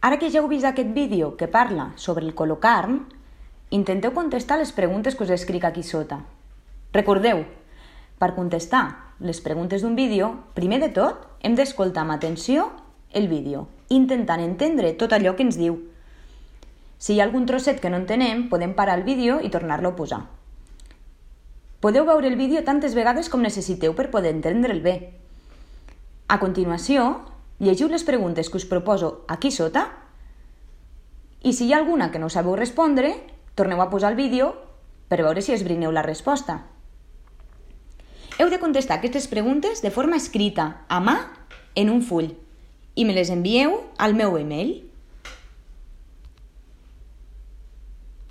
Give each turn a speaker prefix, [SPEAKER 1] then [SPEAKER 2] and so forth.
[SPEAKER 1] Ara que ja heu vist aquest vídeo que parla sobre el colocarm, intenteu contestar les preguntes que us escric aquí sota. Recordeu, per contestar les preguntes d'un vídeo, primer de tot hem d'escoltar amb atenció el vídeo, intentant entendre tot allò que ens diu. Si hi ha algun trosset que no entenem, podem parar el vídeo i tornar-lo a posar. Podeu veure el vídeo tantes vegades com necessiteu per poder entendre'l bé. A continuació, llegiu les preguntes que us proposo aquí sota i si hi ha alguna que no sabeu respondre, torneu a posar el vídeo per veure si esbrineu la resposta. Heu de contestar aquestes preguntes de forma escrita, a mà, en un full, i me les envieu al meu email.